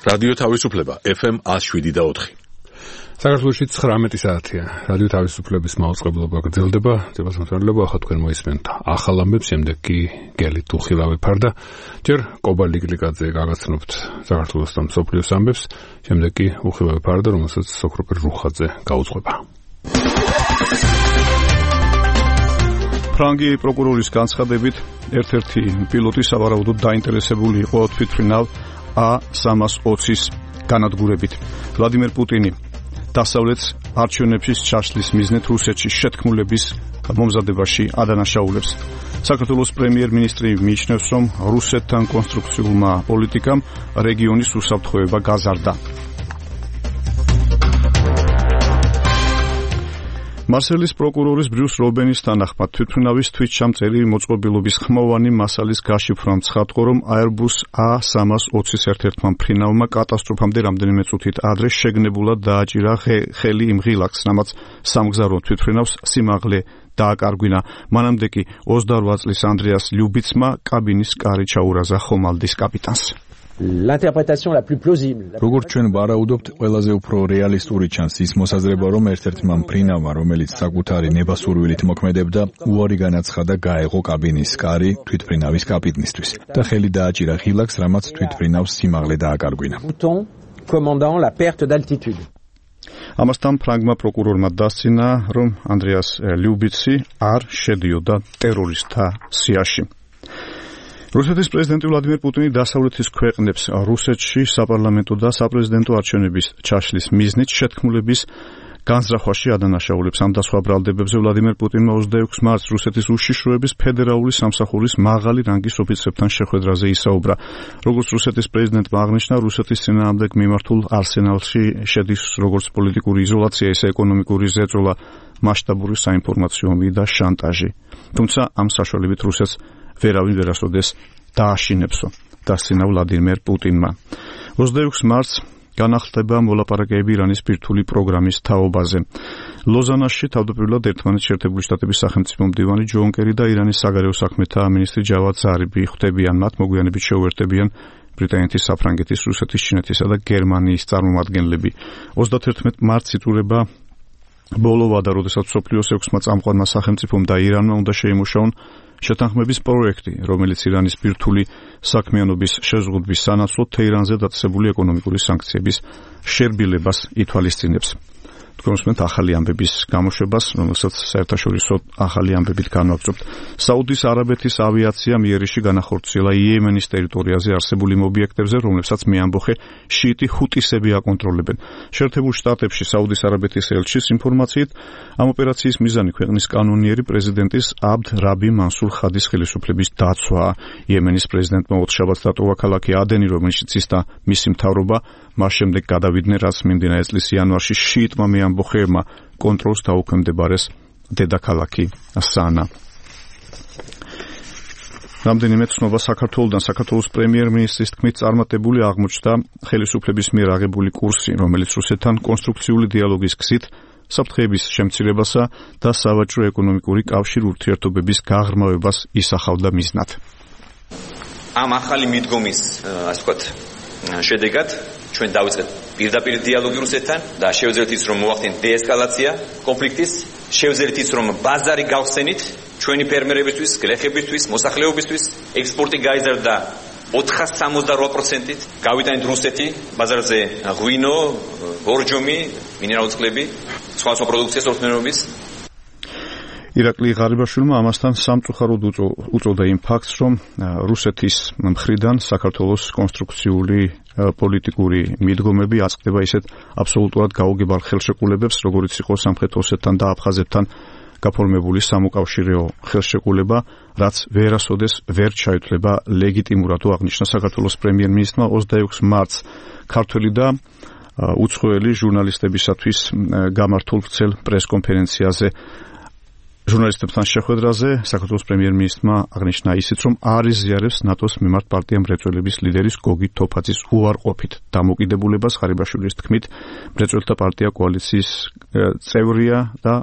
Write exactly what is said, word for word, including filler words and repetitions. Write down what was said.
რადიო თავისუფლება ეფ ემ ათს შვიდი და ოთხი. საქართველოში ცხრამეტი საათია. რადიო თავისუფლების მაუწყებლობა გრძელდება. ძებასმოწმებლობა ახლა თქვენ მოისმენთ ახალ ამბებს, შემდეგ კი გელით უხილავი ფარდა. ჯერ კობა ლიკლიკაძე გაგაცნობთ საქართველოს და მსოფლიოს ამბებს, შემდეგ კი უხილავი ფარდა, რომელსაც სოქროპერ რუხაძე გაუძღვება. ფრანგი პროკურორის განცხადებით, ერთ-ერთი პილოტი სავარაუდოდ დაინტერესებული იყო თვითმფრინავ ა სამას ოცის განადგურებით. ვლადიმერ პუტინი დასავლეთს არჩევნების ჩაშლის მიზნით რუსეთში შეთქმულების მომზადებაში ადანაშაულებს. საქართველოს პრემიერ-მინისტრი მიიჩნევს, რომ რუსეთთან კონსტრუქციულმა პოლიტიკამ რეგიონის უსაფრთხოება გაზარდა. მარსელის პროკურორის ბრიუს რობენის თანახმად თვითმფრინავის თვითჩამწერი მოწყობილობის ხმოვანი მასალის გაშიფრვამ ცხადყო, რომ Airbus ა სამას ოცის ერთ-ერთმა მფრინავმა კატასტროფამდე რამდენიმე წუთით ადრე შეგნებულად დააჭირა ხელი იმ ღილაკს, რამაც სამგზავრო თვითმფრინავს სიმაღლე დააკარგვინა. მანამდე კი ოცდაორ წლის ანდრეას ლიუბიცმა კაბინის კარი ჩაურაზა ხომალდის კაპიტანს. L'interprétation la plus plausible. როგორც ჩვენ ვარაუდობთ, ყველაზე უფრო რეალისტური ჩანს ის მოსაზრება, რომ ერთ-ერთმა მფრინავმა, რომელიც საკუთარი ნებასურვილით მოქმედებდა, უარი განაცხადა გაეღო კაბინის კარი თვითმფრინავის კაპიტნისთვის და ხელი დააჭირა ღილაკს, რამაც თვითმფრინავს სიმაღლე დააკარგვინა. Commandant la perte d'altitude. ამასთან ფრანგმა პროკურორმა დასცინა, რომ ანდრეას ლიუბიცი არ შედიოდა ტერორისტთა სიაში. რუსეთის პრეზიდენტი ვლადიმერ პუტინი დასავლეთის ქვეყნებს რუსეთში საპარლამენტო და საპრეზიდენტო არჩევნების ჩაშლის მიზნით შეთქმულების განზრახვაში ადანაშაულებს. ამ და სხვა ბრალდებებზე ვლადიმერ პუტინმა ოცდაექვსი მარტს რუსეთის უშიშროების ფედერალური სამსახურის მაღალი რანგის ოფიცრებთან შეხვედრაზე ისაუბრა. როგორც რუსეთის პრეზიდენტმა აღნიშნა, რუსეთის წინააღმდეგ მიმართულ არსენალში შედის როგორც პოლიტიკური იზოლაცია, ისე ეკონომიკური ზეწოლა, მასშტაბური საინფორმაციო ომი და შანტაჟი. თუმცა ამ საშუალებით რუსეთს ვერავინ ვერასოდეს დააშინებსო, დასცინა ვლადიმერ პუტინმა. ოცდაექვსი მარტს განახლდება მოლაპარაკებები ირანის ბირთვული პროგრამის თაობაზე. ლოზანაში თავდაპირველად ერთმანეთს შეერთებული შტატების სახელმწიფო მდივანი ჯონ კერი და ირანის საგარეო საქმეთა მინისტრი ჯავად ზარიფი ხვდებიან. მათ მოგვიანებით შეუერთებიან ბრიტანეთის, საფრანგეთის, რუსეთის, ჩინეთისა და გერმანიის წარმომადგენლები. ოცდათერთმეტი მარტს იწურება ბოლო ვადა, როდესაც მსოფლიოს ექვსმა წამყვანმა სახელმწიფომ და ირანმა უნდა შეიმუშაონ შეთანხმების პროექტი, რომელიც ირანის ბირთვული საქმიანობის შეზღუდვის სანაცვლოდ თეირანზე დაწესებული ეკონომიკური სანქციების შერბილებას ითვალისწინებს. თქვენ უსმენთ ახალი ამბების გამოშვებას, რომელსაც საერთაშორისო ახალი ამბებით განვაგრძობთ. საუდის არაბეთის ავიაციამ იერიში განახორციელა იემენის ტერიტორიაზე არსებული ობიექტებზე, რომლებსაც მეამბოხე შიიტი ჰუტისები აკონტროლებენ. შეერთებულ შტატებში საუდის არაბეთის ელჩის ინფორმაციით, ამ ოპერაციის მიზანი ქვეყნის კანონიერი პრეზიდენტის აბდ რაბი მანსურ ხადის ხელისუფლების დაცვაა. იემენის პრეზიდენტმა ოთხშაბათს დატოვა ქალაქი ადენი, რომელშიც ის და მისი მთავრობა მას შემდეგ გადავიდნენ, რაც მიმდინარე წლის იანვარში შიიტმა მეამბოხეებმა კონტროლს დაუქვემდებარეს დედაქალაქი სანა. რამდენიმე ცნობა საქართველოსთან. საქართველოს პრემიერ-მინისტრის თქმით, წარმატებული აღმოჩნდა ხელისუფლების მიერ აღებული კურსი, რომელიც რუსეთთან კონსტრუქციული დიალოგის გზით საფრთხეების შემცირებასა და სავაჭრო ეკონომიკური კავშირ ურთიერთობების გაღრმავებას ისახავდა მიზნად. ამ ახალი მიდგომის, ასე ვთქვათ, შედეგად ჩვენ დავიწყეთ პირდაპირ დიალოგი რუსეთთან და შევძლებთ ის, რომ მოახდინოთ დეესკალაცია კონფლიქტის, შევძლებთ ის, რომ ბაზარი გავხსენით ჩვენი ფერმერებისთვის, გლეხებისთვის, მოსახლეობისთვის, ექსპორტი გაიზარდა ოთხასი სამოცდაორი პროცენტით, გავიტანეთ რუსეთი ბაზარზე ღვინო, ბორჯომი, მინერალური წყლები, სხვა სხვა პროდუქციას ორთმერობის. ირაკლი ღარიბაშვილმა ამასთან სამწუხაროდ უწოდა იმ ფაქტს, რომ რუსეთის მხრიდან საქართველოს კონსტრუქციული პოლიტიკური მიდგომები აწყდება ისეთ აბსოლუტურად გაუგებარ ხელშეკრულებებს, როგორიც იყო სამხრეთ ოსეთთან და აფხაზეთთან გაფორმებული სამოკავშირეო ხელშეკრულება, რაც ვერასოდეს ვერ ჩაითვლება ლეგიტიმურად, აღნიშნა საქართველოს პრემიერ-მინისტრმა ოცდაექვსი მარტს ქართველი და უცხოელი ჟურნალისტებისათვის გამართულ ვრცელ პრესკონფერენციაზე. ჟურნალისტებთან შეხვედრაზე საქართველოს პრემიერ-მინისტრმა აღნიშნა ისიც, რომ არ იზიარებს ნატოს მიმართ პარტია მრეწველების ლიდერის გოგი თოფაძის უარყოფით დამოკიდებულებას. ღარიბაშვილის თქმით, მრეწველთა პარტია კოალიციის წევრია და